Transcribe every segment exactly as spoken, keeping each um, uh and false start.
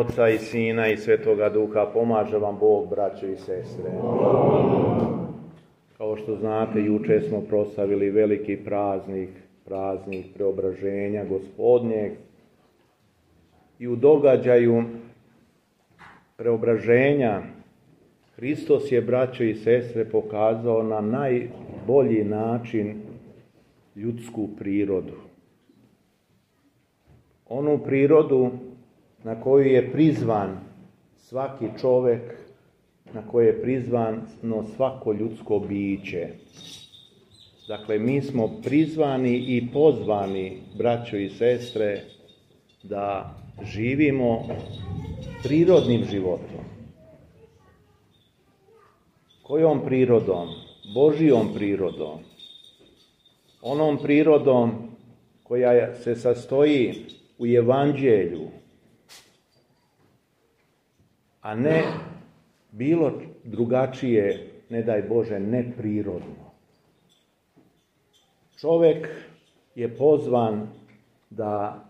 Oca i Sina i Svetoga Duha, pomaže vam Bog, braćo i sestre. Kao što znate, juče smo proslavili veliki praznik, praznik preobraženja Gospodnjeg. I u događaju preobraženja Hristos je, braćo i sestre, pokazao na najbolji način ljudsku prirodu. Onu prirodu na koju je prizvan svaki čovjek, na koje je prizvano svako ljudsko biće. Dakle, mi smo prizvani i pozvani, braćo i sestre, da živimo prirodnim životom. Kojom prirodom? Božijom prirodom. Onom prirodom koja se sastoji u evanđelju, a ne bilo drugačije, ne daj Bože, neprirodno. Čovjek je pozvan da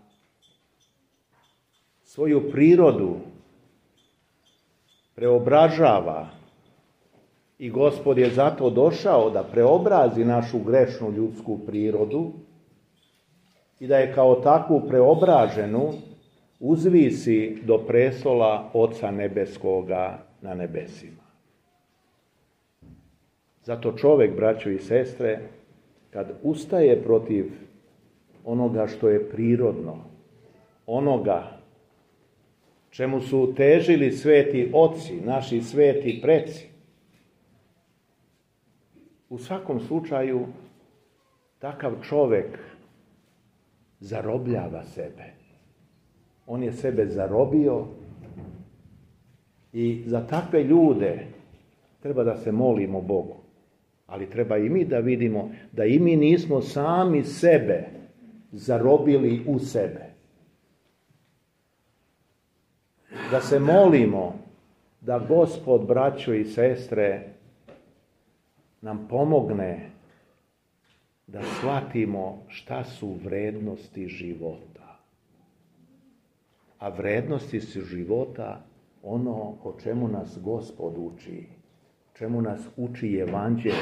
svoju prirodu preobražava i Gospod je zato došao da preobrazi našu grešnu ljudsku prirodu i da je kao takvu preobraženu uzvisi do prestola Oca Nebeskoga na nebesima. Zato čovjek, braćo i sestre, kad ustaje protiv onoga što je prirodno, onoga čemu su težili sveti oci, naši sveti preci, u svakom slučaju takav čovjek zarobljava sebe. On je sebe zarobio i za takve ljude treba da se molimo Bogu. Ali treba i mi da vidimo da i mi nismo sami sebe zarobili u sebe. Da se molimo da Gospod, braćo i sestre, nam pomogne da shvatimo šta su vrednosti života. A vrednosti su života ono o čemu nas Gospod uči, o čemu nas uči evanđelje,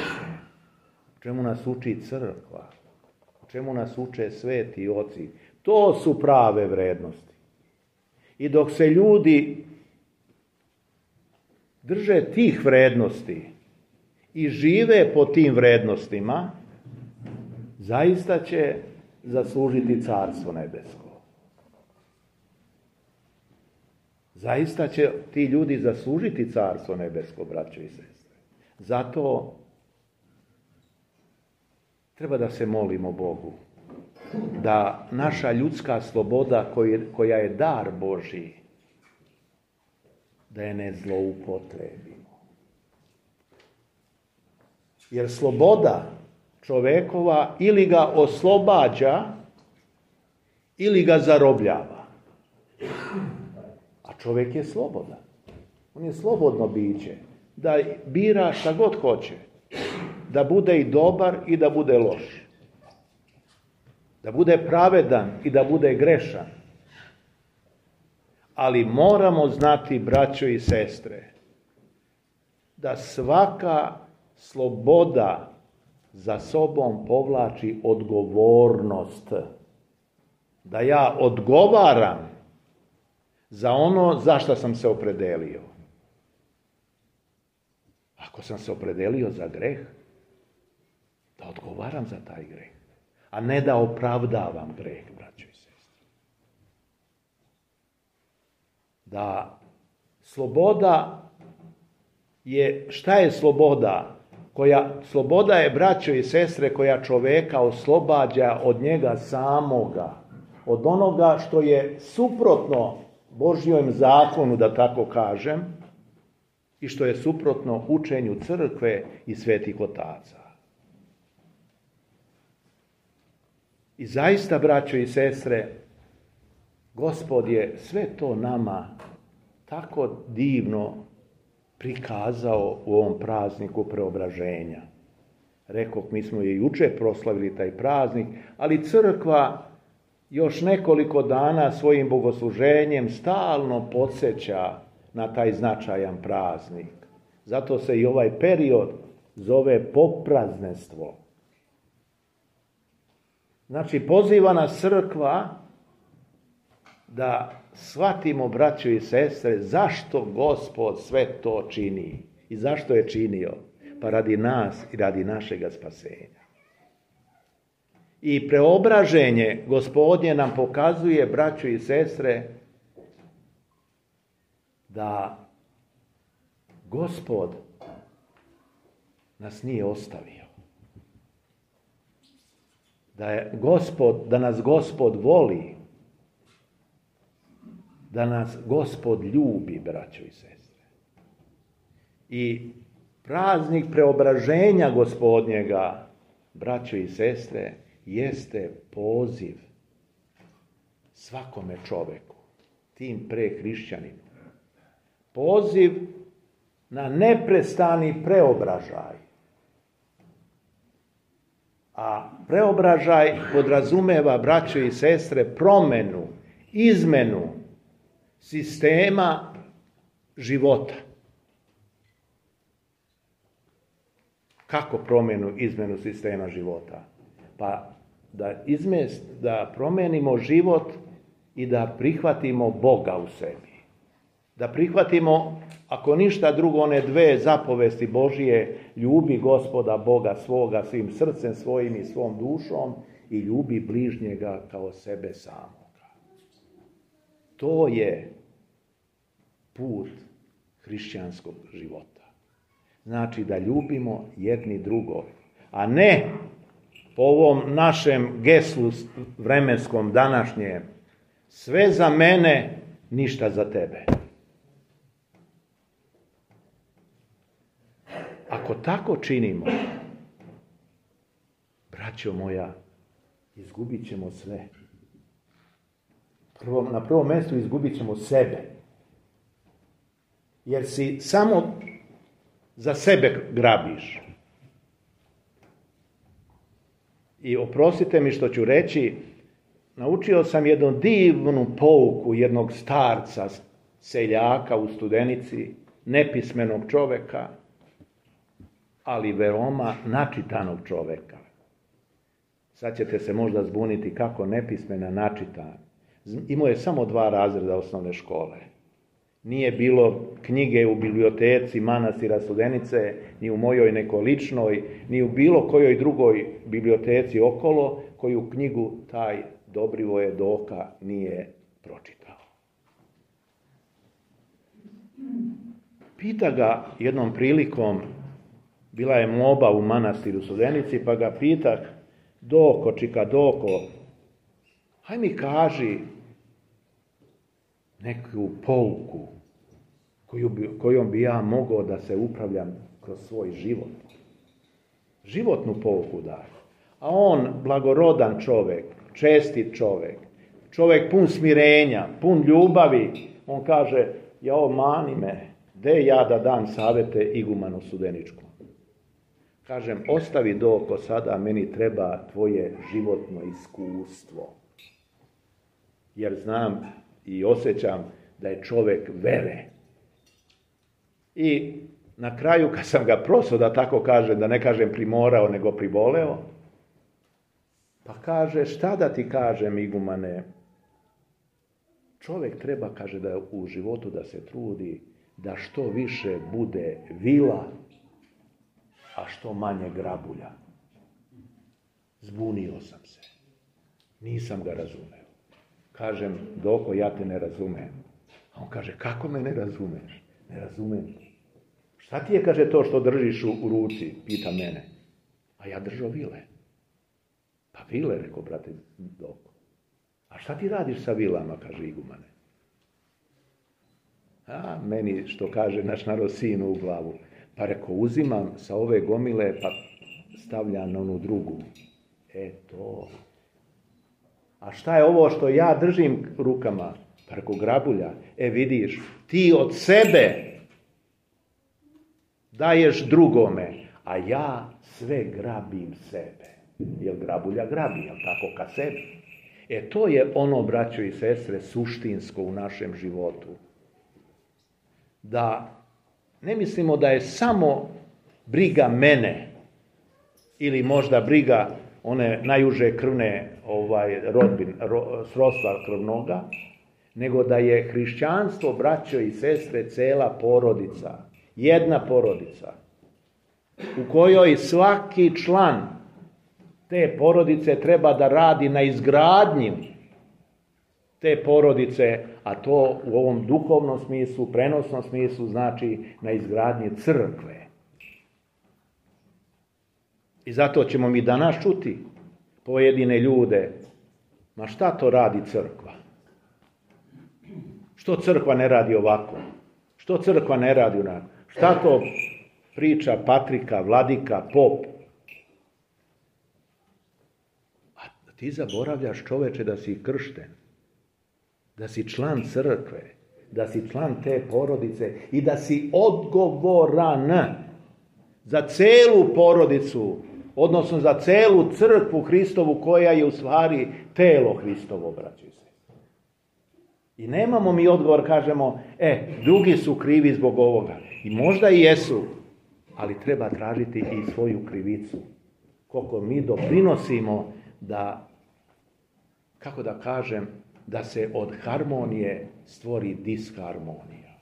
o čemu nas uči crkva, o čemu nas uče sveti oci. To su prave vrednosti. I dok se ljudi drže tih vrednosti i žive po tim vrednostima, zaista će zaslužiti Carstvo nebesko. Zaista će ti ljudi zaslužiti Carstvo nebesko, braćo i sestre. Zato treba da se molimo Bogu da naša ljudska sloboda koja je dar Božji, da je ne zloupotrebimo. Jer sloboda čovekova ili ga oslobađa ili ga zarobljava. A čovjek je slobodan. On je slobodno biće. Da bira šta god hoće. Da bude i dobar i da bude loš. Da bude pravedan i da bude grešan. Ali moramo znati, braćo i sestre, da svaka sloboda za sobom povlači odgovornost. Da ja odgovaram za ono za što sam se opredelio. Ako sam se opredelio za greh, da odgovaram za taj greh, a ne da opravdavam greh, braćo i sestre. Da sloboda je, šta je sloboda? Koja, sloboda je, braćo i sestre, koja čoveka oslobađa od njega samoga, od onoga što je suprotno Božjem zakonu, da tako kažem, i što je suprotno učenju crkve i svetih otaca. I zaista, braćo i sestre, Gospod je sve to nama tako divno prikazao u ovom prazniku preobraženja. Rekoh, mi smo je juče proslavili taj praznik, ali crkva još nekoliko dana svojim bogosluženjem stalno podsjeća na taj značajan praznik. Zato se i ovaj period zove popraznestvo. Znači, poziva nas crkva da shvatimo, braćo i sestre, zašto Gospod sve to čini i zašto je činio. Pa radi nas i radi našega spasenja. I preobraženje Gospodnje nam pokazuje, braćo i sestre, da Gospod nas nije ostavio. Da je Gospod, da nas Gospod voli. Da nas Gospod ljubi, braćo i sestre. I praznik preobraženja Gospodnjega, braćo i sestre, jeste poziv svakome čoveku, tim pre hrišćaninu. Poziv na neprestani preobražaj. A preobražaj podrazumeva, braćo i sestre, promenu, izmenu sistema života. Kako promenu, izmenu sistema života? Pa da, izmest, da promenimo život i da prihvatimo Boga u sebi. Da prihvatimo, ako ništa drugo, one dve zapovesti Božije, ljubi Gospoda Boga svoga svim srcem svojim i svom dušom i ljubi bližnjega kao sebe samoga. To je put hrišćanskog života. Znači da ljubimo jedni drugog, a ne po ovom našem geslu vremenskom današnjem, sve za mene, ništa za tebe. Ako tako činimo, braćo moja, izgubit ćemo sve. Prvo, na prvom mjestu izgubit ćemo sebe. Jer si samo za sebe grabiš. I oprostite mi što ću reći, naučio sam jednu divnu pouku jednog starca, seljaka u Studenici, nepismenog čoveka, ali veoma načitanog čoveka. Sad ćete se možda zbuniti kako nepismena, načitan. Imao je samo dva razreda osnovne škole. Nije bilo knjige u biblioteci manastira Studenice, ni u mojoj nekoj ličnoj, ni u bilo kojoj drugoj biblioteci okolo, koju knjigu taj Dobrivoje Doka nije pročitao. Pita ga jednom prilikom, bila je moba u manastiru Studenici, pa ga pitah, Doko, čika Doko, haj mi kaži neku pouku koju bi, kojom bi ja mogao da se upravljam kroz svoj život. Životnu pouku daj. A on, blagorodan čovek, čestit čovek, čovek pun smirenja, pun ljubavi, on kaže, jao mani me, de ja da dam savete igumanu Studeničkom. Kažem, ostavi Doko sada, meni treba tvoje životno iskustvo. Jer znam i osjećam da je čovek vere. I na kraju, kad sam ga prosao, da tako kažem, da ne kažem primorao, nego priboleo, pa kaže, šta da ti kažem, igumane, čovek treba, kaže, da u životu da se trudi, da što više bude vila, a što manje grabulja. Zbunio sam se. Nisam ga razumeo. Kažem, Doko, ja te ne razumem. A on kaže, kako me ne razumeš? Ne razumem. Šta ti je, kaže, to što držiš u, u ruci? Pita mene. A ja držao vile. Pa vile, rekao, brate Doko. A šta ti radiš sa vilama, kaže igumane. A meni, što kaže naš narod, sinu u glavu. Pa rekao, uzimam sa ove gomile, pa stavljam na onu drugu. E to. A šta je ovo što ja držim rukama? Pa rekao, grabulja. E vidiš, ti od sebe daješ drugome, a ja sve grabim sebe. Jer grabulja grabi, jel tako, ka sebi. E to je ono, braćo i sestre, suštinsko u našem životu. Da ne mislimo da je samo briga mene ili možda briga one najuže krvne ovaj, rodbin, ro, srodstva krvnoga, nego da je hrišćanstvo, braćo i sestre, cela porodica, jedna porodica, u kojoj svaki član te porodice treba da radi na izgradnji te porodice, a to u ovom duhovnom smislu, prenosnom smislu, znači na izgradnji crkve. I zato ćemo mi danas čuti pojedine ljude, ma šta to radi crkva? Što crkva ne radi ovako? Što crkva ne radi onako? Šta to priča patrika, vladika, pop? A ti zaboravljaš, čoveče, da si kršten, da si član crkve, da si član te porodice i da si odgovoran za celu porodicu, odnosno za celu crkvu Hristovu koja je u stvari telo Hristovo, braćo i sestre. I nemamo mi odgovor, kažemo, e, drugi su krivi zbog ovoga. I možda i jesu, ali treba tražiti i svoju krivicu. Koliko mi doprinosimo da, kako da kažem, da se od harmonije stvori disharmonija.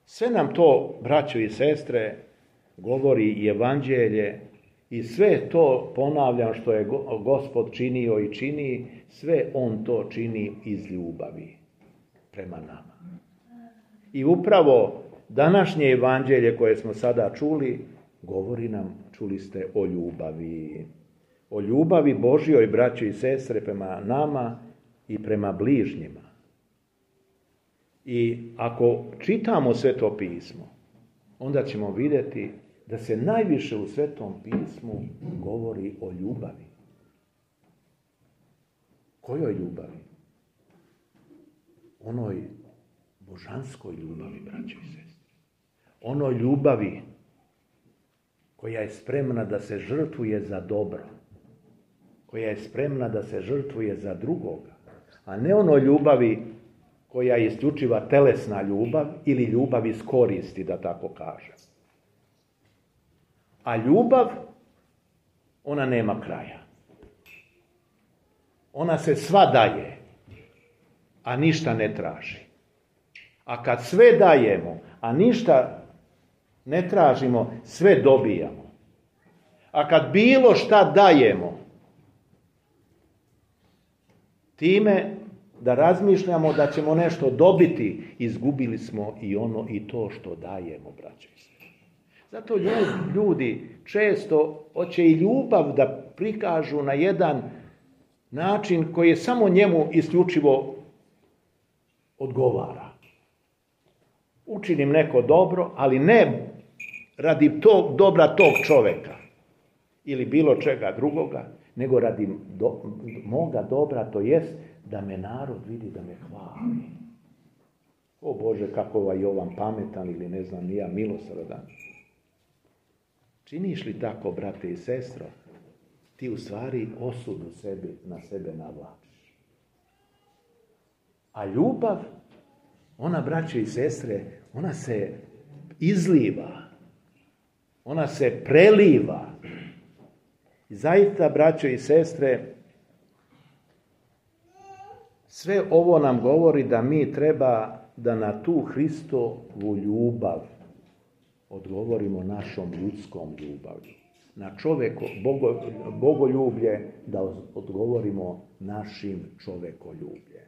Sve nam to, braćo i sestre, govori evanđelje i sve to, ponavljam, što je Gospod činio i čini, sve on to čini iz ljubavi prema nama. I upravo današnje evanđelje koje smo sada čuli, govori nam, čuli ste, o ljubavi. O ljubavi Božjoj, braćo i sestre, prema nama i prema bližnjima. I ako čitamo Sveto pismo, onda ćemo vidjeti da se najviše u Svetom pismu govori o ljubavi. Kojoj ljubavi? Onoj božanskoj ljubavi, braćo i sestre. Onoj ljubavi koja je spremna da se žrtvuje za dobro, koja je spremna da se žrtvuje za drugoga, a ne onoj ljubavi koja je isključiva telesna ljubav ili ljubav iz koristi, da tako kažem. A ljubav, ona nema kraja. Ona se sva daje, a ništa ne traži. A kad sve dajemo, a ništa ne tražimo, sve dobijamo. A kad bilo šta dajemo, time da razmišljamo da ćemo nešto dobiti, izgubili smo i ono i to što dajemo, braćo i sestre. Zato ljudi često hoće i ljubav da prikažu na jedan način koji je samo njemu isključivo odgovara. Učinim neko dobro, ali ne radi tog dobra tog čoveka ili bilo čega drugoga, nego radi do, moga dobra, to jest da me narod vidi, da me hvali. O Bože, kako ovaj Jovan pametan ili ne znam ni ja, milosrdan. Činiš li tako, brate i sestro, ti u stvari osudu sebi, na sebe navlačiš. A ljubav, ona, braćo i sestre, ona se izliva, ona se preliva. I zaista, braćo i sestre, sve ovo nam govori da mi treba da na tu Hristovu ljubav odgovorimo našom ljudskom ljubavlju. Na čovjeko, bogo, bogoljublje da odgovorimo našim čovekoljubljem.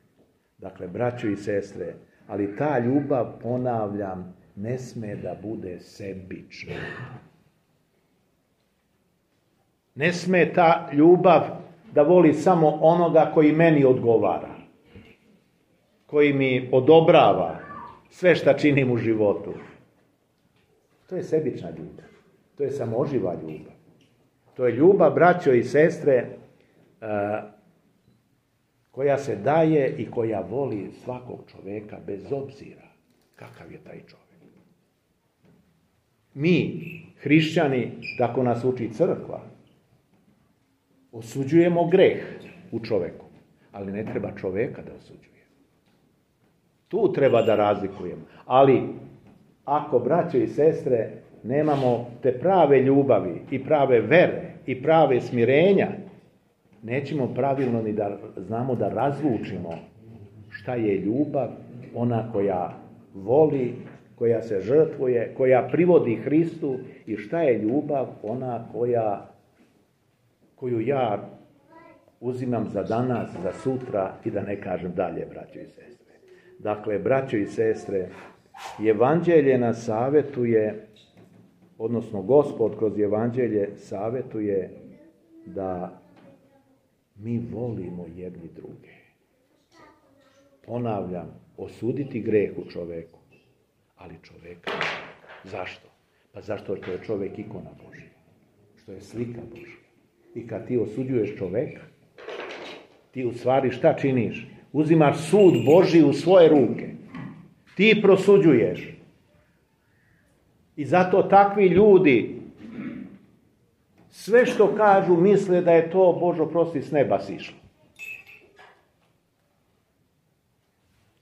Dakle, braćo i sestre, ali ta ljubav, ponavljam, ne sme da bude sebična. Ne sme ta ljubav da voli samo onoga koji meni odgovara, koji mi odobrava sve šta činim u životu. To je sebična ljubav. To je samoživa ljubav. To je ljubav, braćo i sestre, koja se daje i koja voli svakog čoveka bez obzira kakav je taj čovjek. Mi, hrišćani, tako nas uči crkva, Osuđujemo greh u čoveku, ali ne treba čoveka da osuđuje. Tu treba da razlikujemo. Ali, ako, braćo i sestre, nemamo te prave ljubavi i prave vere i prave smirenja, nećemo pravilno ni da znamo da razlučimo šta je ljubav, ona koja voli, koja se žrtvuje, koja privodi Hristu, i šta je ljubav, ona koja, koju ja uzimam za danas, za sutra i da ne kažem dalje, braćo i sestre. Dakle, braćo i sestre, Evanđelje nas savjetuje, odnosno Gospod kroz Evanđelje savjetuje da mi volimo jedni druge. Ponavljam, osuditi greh u čoveku, ali čoveka. Zašto? Pa zašto što je čovek ikona Božja, što je slika Božja. I kad ti osuđuješ čoveka, ti u stvari šta činiš? Uzimaš sud Božji u svoje ruke. Ti prosuđuješ. I zato takvi ljudi sve što kažu misle da je to, Bože oprosti, s neba sišlo.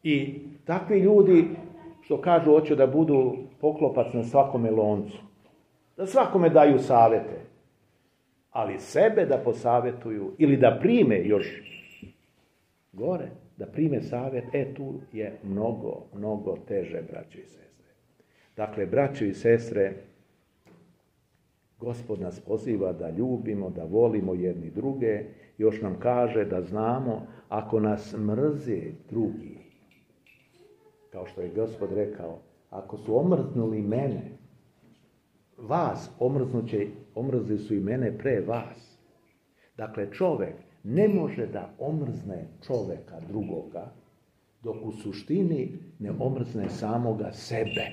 I takvi ljudi što kažu hoće da budu poklopac na svakome loncu, da svakome daju savjete, ali sebe da posavjetuju ili da prime još gore, da prime savjet, e tu je mnogo, mnogo teže, braćo i sestre. Dakle, braćo i sestre, Gospod nas poziva da ljubimo, da volimo jedni druge, još nam kaže da znamo, ako nas mrze drugi, kao što je Gospod rekao, ako su omrznuli mene, vas omrznuće, omrzli su i mene pre vas. Dakle, čovek ne može da omrzne čoveka drugoga, dok u suštini ne omrzne samoga sebe.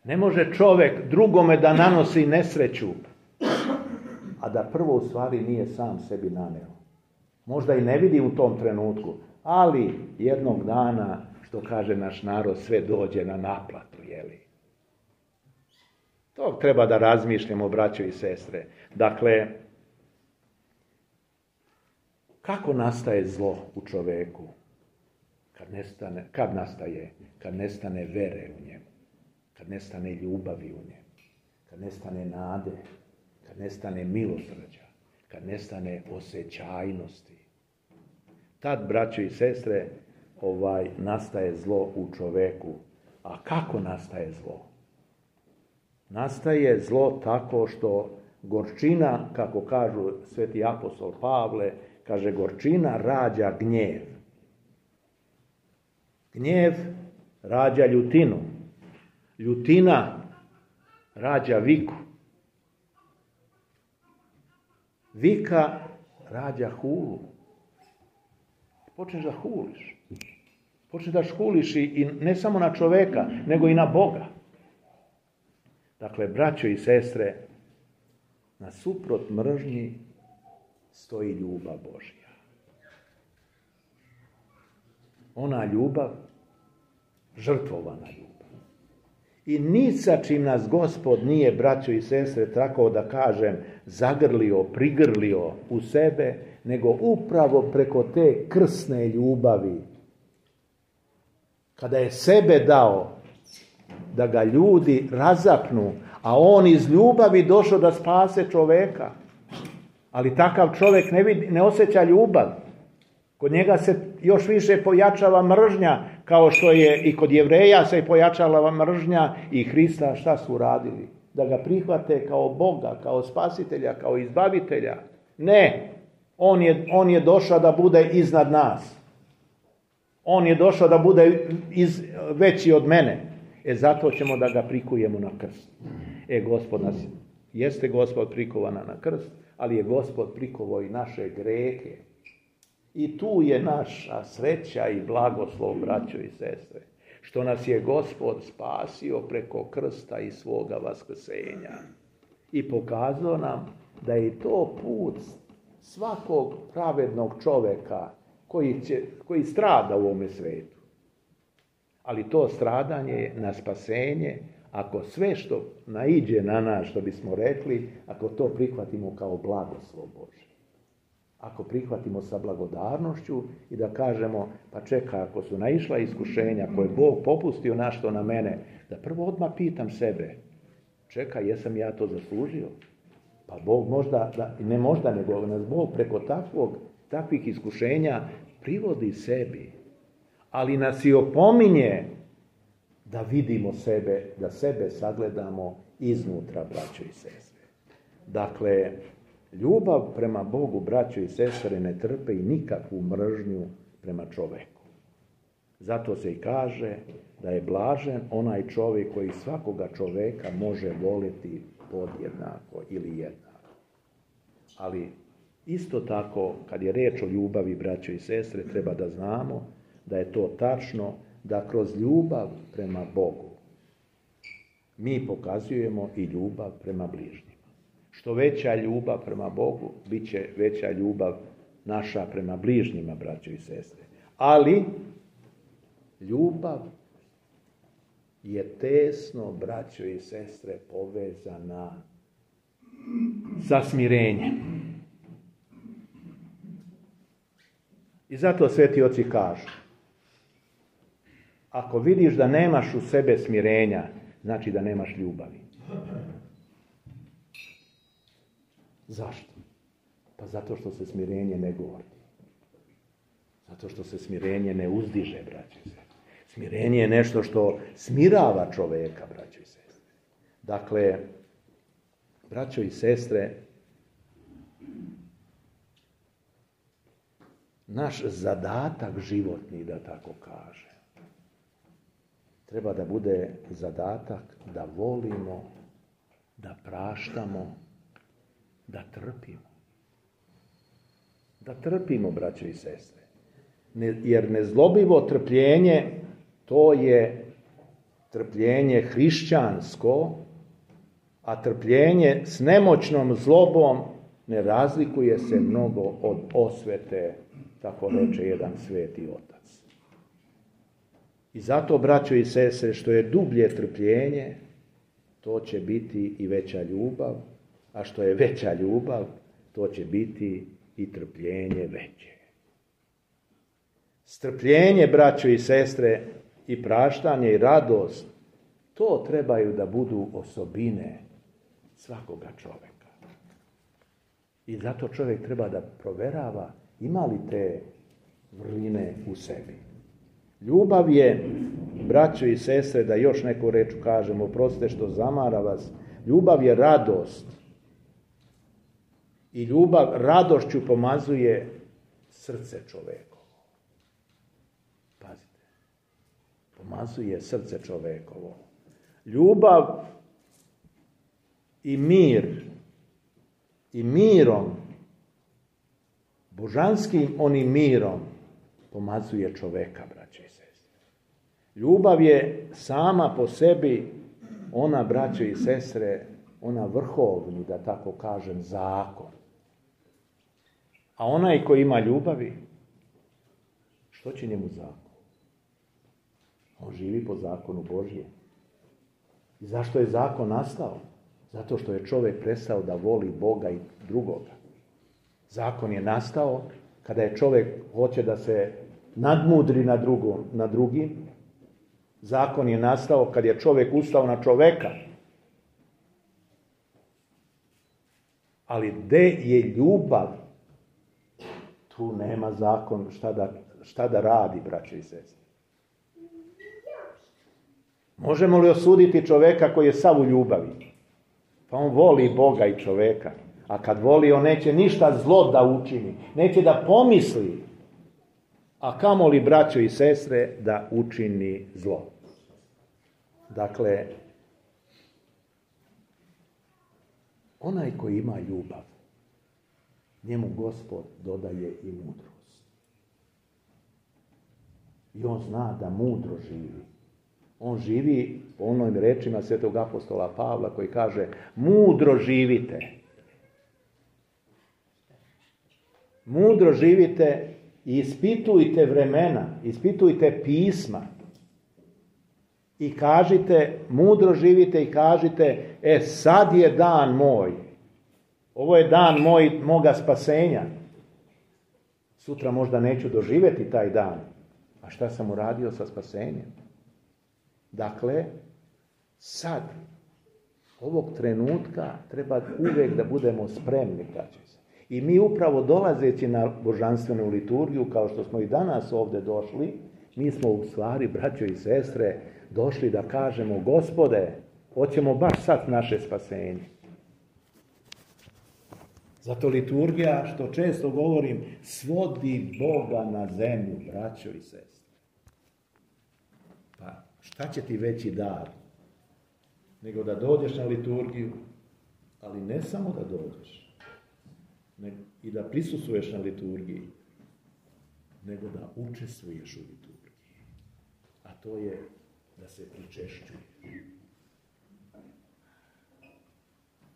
Ne može čovek drugome da nanosi nesreću, a da prvo u stvari nije sam sebi naneo. Možda i ne vidi u tom trenutku, ali jednog dana, što kaže naš narod, sve dođe na naplatu, jeli? To treba da razmišljamo, braćo i sestre. Dakle, kako nastaje zlo u čoveku? Kad nestane, kad nastaje? Kad nestane vere u njemu, kad nestane ljubavi u njemu, kad nestane nade, kad nestane milosrđa, kad nestane osjećajnosti. Tad, braćo i sestre, ovaj, nastaje zlo u čoveku. A kako nastaje zlo? Nastaje zlo tako što gorčina, kako kažu sveti apostol Pavle, kaže gorčina rađa gnjev. Gnjev rađa ljutinu. Ljutina rađa viku. Vika rađa hulu. Počneš da huliš. Počneš da škuliš i ne samo na čoveka, nego i na Boga. Dakle, braćo i sestre, nasuprot mržnji stoji ljubav Božja. Ona ljubav, žrtvovana ljubav. I ni sa čim nas Gospod nije, braćo i sestre, tako da kažem, zagrlio, prigrlio u sebe, nego upravo preko te krsne ljubavi. Kada je sebe dao da ga ljudi razapnu, a on iz ljubavi došao da spase čoveka. Ali takav čovjek ne, vidi, ne osjeća ljubav. Kod njega se još više pojačava mržnja, kao što je i kod Jevreja se pojačala mržnja i Hrista šta su radili? Da ga prihvate kao Boga, kao spasitelja, kao izbavitelja. Ne, on je, on je došao da bude iznad nas. On je došao da bude iz, veći od mene. E zato ćemo da ga prikujemo na krst. E Gospod nas, jeste Gospod prikovana na krst, ali je Gospod prikovao i naše grehe. I tu je naša sreća i blagoslov, braćo i sestre, što nas je Gospod spasio preko krsta i svoga vaskrsenja. I pokazao nam da je to put svakog pravednog čoveka koji, će, koji strada u ovome svetu. Ali to stradanje je na spasenje, ako sve što naiđe na nas, što bismo rekli, ako to prihvatimo kao blagoslov Božji. Ako prihvatimo sa blagodarnošću i da kažemo, pa čeka, ako su naišla iskušenja koje je Bog popustio našto na mene, da prvo odmah pitam sebe, čeka, jesam ja to zaslužio? Pa Bog možda, da, ne možda, nego nas Bog preko takvog, takvih iskušenja privodi sebi, ali nas i opominje da vidimo sebe, da sebe sagledamo iznutra, braćo i sestre. Dakle, ljubav prema Bogu, braćo i sestre, ne trpe i nikakvu mržnju prema čoveku. Zato se i kaže da je blažen onaj čovjek koji svakoga čoveka može voliti podjednako ili jednako. Ali isto tako, kad je reč o ljubavi, braćo i sestre, treba da znamo da je to tačno, da kroz ljubav prema Bogu mi pokazujemo i ljubav prema bližnjima. Što veća ljubav prema Bogu, bit će veća ljubav naša prema bližnjima, braćo i sestre. Ali ljubav je tesno, braćo i sestre, povezana sa smirenjem. I zato sveti oci kažu, ako vidiš da nemaš u sebe smirenja, znači da nemaš ljubavi. Zašto? Pa zato što se smirenje ne gordi. Zato što se smirenje ne uzdiže, braćo i sestre. Smirenje je nešto što smirava čoveka, braćo i sestre. Dakle, braćo i sestre, naš zadatak životni, da tako kaže, treba da bude zadatak da volimo, da praštamo, da trpimo. Da trpimo, braćo i sestre. Ne, jer nezlobivo trpljenje, to je trpljenje hrišćansko, a trpljenje s nemoćnom zlobom ne razlikuje se mnogo od osvete, tako reče jedan sveti otac. I zato, braćo i sestre, što je dublje trpljenje, to će biti i veća ljubav, a što je veća ljubav, to će biti i trpljenje veće. Strpljenje, braćo i sestre, i praštanje i radost, to trebaju da budu osobine svakoga čoveka. I zato čovjek treba da proverava ima li te vrline u sebi. Ljubav je, braćo i sestre, da još neku reč kažemo, oprostite što zamara vas, ljubav je radost. I ljubav radošću pomazuje srce čovekovo. Pazite, pomazuje srce čovekovo. Ljubav i mir, i mirom, božanskim onim mirom, pomazuje čoveka, braćo i sestre. Ljubav je sama po sebi, ona, braćo i sestre, ona vrhovni, da tako kažem, zakon. A onaj koji ima ljubavi, što će njemu zakon? On živi po zakonu Božje. I zašto je zakon nastao? Zato što je čovjek prestao da voli Boga i drugoga. Zakon je nastao kada je čovjek hoće da se nadmudri na, drugom, na drugim. Zakon je nastao kad je čovjek ustao na čoveka. Ali gde je ljubav? Tu nema zakon šta da, šta da radi, braćo i sestre. Možemo li osuditi čoveka koji je sav u ljubavi? Pa on voli Boga i čoveka. A kad voli, on neće ništa zlo da učini. Neće da pomisli. A kamoli, braćo i sestre, da učini zlo. Dakle, onaj koji ima ljubav, njemu Gospod dodaje i mudrost. I on zna da mudro živi. On živi po onim rečima svetog apostola Pavla koji kaže mudro živite. Mudro živite i ispitujte vremena, ispitujte pisma. I kažite, mudro živite i kažite, e sad je dan moj. Ovo je dan moj, moga spasenja. Sutra možda neću doživjeti taj dan. A šta sam uradio sa spasenjem? Dakle, sad, ovog trenutka treba uvijek da budemo spremni. I mi upravo dolazeći na božanstvenu liturgiju, kao što smo i danas ovdje došli, mi smo u stvari, braćo i sestre, došli da kažemo, Gospode, hoćemo baš sad naše spasenje. Zato liturgija, što često govorim, svodi Boga na zemlju, braćo i sestre. Pa šta će ti veći dar nego da dođeš na liturgiju, ali ne samo da dođeš, nego i da prisustvuješ na liturgiji, nego da učestvuješ u liturgiji. A to je da se pričešćuje.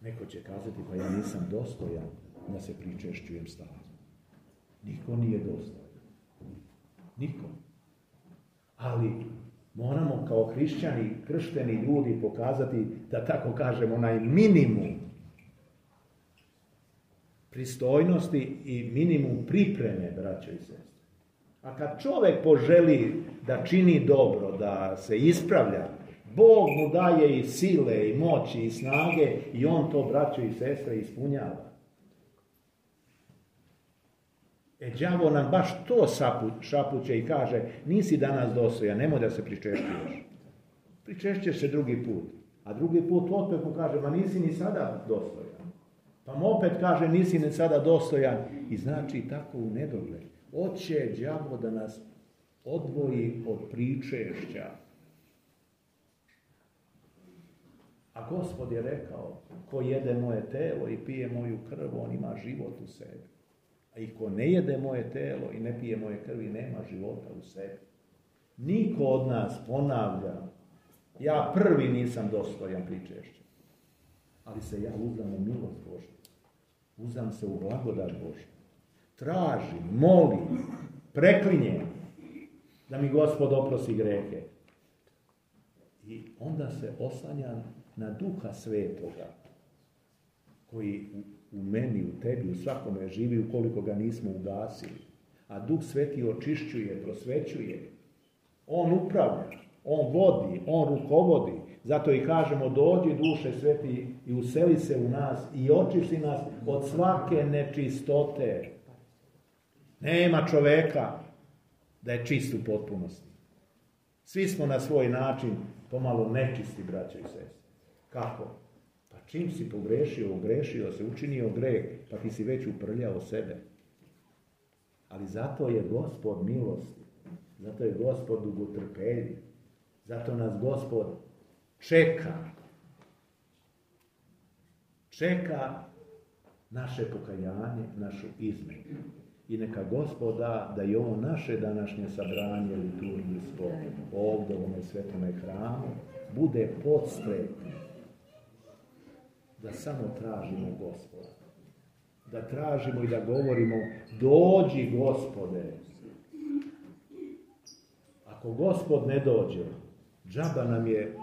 Neko će kazati, pa ja nisam dostojan da se pričešćujem stalno. Niko nije dostojan. Niko. Ali moramo kao hrišćani, kršteni ljudi pokazati, da tako kažemo, onaj minimum pristojnosti i minimum pripreme, braćo i sestre. A kad čovjek poželi da čini dobro, da se ispravlja, Bog mu daje i sile, i moći, i snage, i on to, braćo i sestre, ispunjava. E, đavo nam baš to šapuće i kaže, nisi danas dostojan, nemoj da se pričešćuješ. Pričešćeš se drugi put. A drugi put opet mu kaže, ma nisi ni sada dostojan. Pa mu opet kaže, nisi ni sada dostojan. I znači tako u nedogled. Hoće đavo da nas odvoji od pričešća. A Gospod je rekao, ko jede moje telo i pije moju krv, on ima život u sebi. A i ko ne jede moje telo i ne pije moje krvi, nema života u sebi. Niko od nas, ponavlja, ja prvi nisam dostojan pričešća. Ali se ja uzdam u milost Božju. Uzdam se u blagodat Božju. Tražim, molim, preklinjem da mi Gospod oprosti grehe. I onda se oslanjam na Duha Svetoga, koji u, u meni, u tebi, u svakome živi, ukoliko ga nismo ugasili. A Duh Sveti očišćuje, prosvećuje. On upravlja, on vodi, on rukovodi. Zato i kažemo, dođi Duše Sveti i useli se u nas i očisti nas od svake nečistote. Nema čoveka da je čist u potpunosti. Svi smo na svoj način pomalo nečisti, braćo i sestre. Kako? Pa čim si pogrešio, ogrešio se, učinio greh, pa ti si već uprljao sebe. Ali zato je Gospod milosti, zato je Gospod dugotrpeljiv, zato nas Gospod čeka. Čeka naše pokajanje, našu izmenu. I neka Gospod da, da i ovo naše današnje sabranje liturgijsko ovdje u ovome svetome hramu bude podstrek da samo tražimo Gospoda. Da tražimo i da govorimo, dođi Gospode. Ako Gospod ne dođe, džaba nam je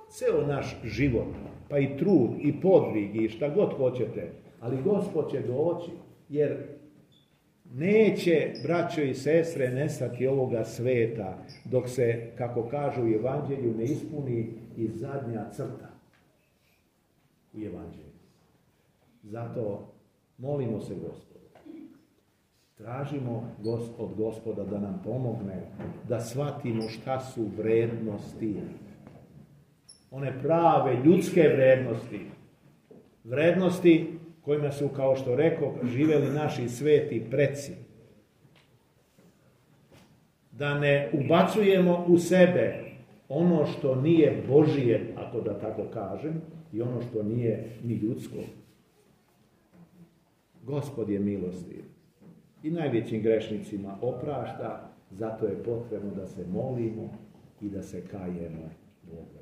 ceo naš život, pa i trud, i podvig, i šta god hoćete, ali Gospod će doći, jer neće, braćo i sestre, nestati ovoga sveta, dok se, kako kažu u Evanđelju, ne ispuni i zadnja crta u Evanđelju. Zato molimo se Gospodu. Tražimo od Gospoda da nam pomogne, da shvatimo šta su vrednosti. One prave ljudske vrednosti. Vrednosti kojima su, kao što rekao, živjeli naši sveti preci. Da ne ubacujemo u sebe ono što nije Božije, ako da tako kažem, i ono što nije ni ljudsko. Gospod je milostiv i najvećim grešnicima oprašta, zato je potrebno da se molimo i da se kajemo Bogu.